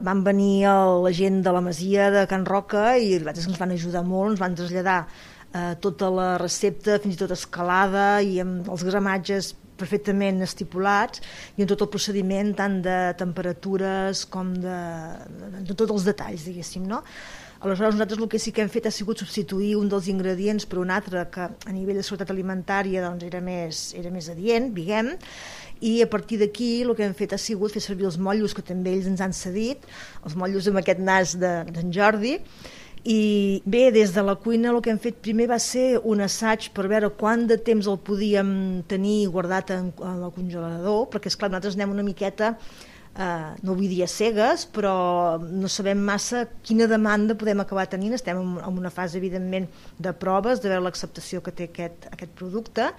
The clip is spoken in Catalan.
Van venir la gent de la masia de Can Roca i ens van ajudar molt, ens van traslladar tota la recepta, fins i tot escalada i amb els gramatges perfectament estipulats i amb tot el procediment tant de temperatures com de tots els detalls, diguéssim, no? Aleshores nosaltres el que sí que hem fet ha sigut substituir un dels ingredients per un altre que a nivell de seguretat alimentària doncs, era més adient, diguem, i a partir d'aquí el que hem fet ha sigut fer servir els motllos que també ells ens han cedit, els motllos amb aquest nas d'en Jordi, i bé, des de la cuina el que hem fet primer va ser un assaig per veure quant de temps el podíem tenir guardat en el congelador, perquè esclar, nosaltres anem una miqueta, no vull dir a cegues, però no sabem massa quina demanda podem acabar tenint. Estem en una fase evidentment de proves, de veure l'acceptació que té aquest producte,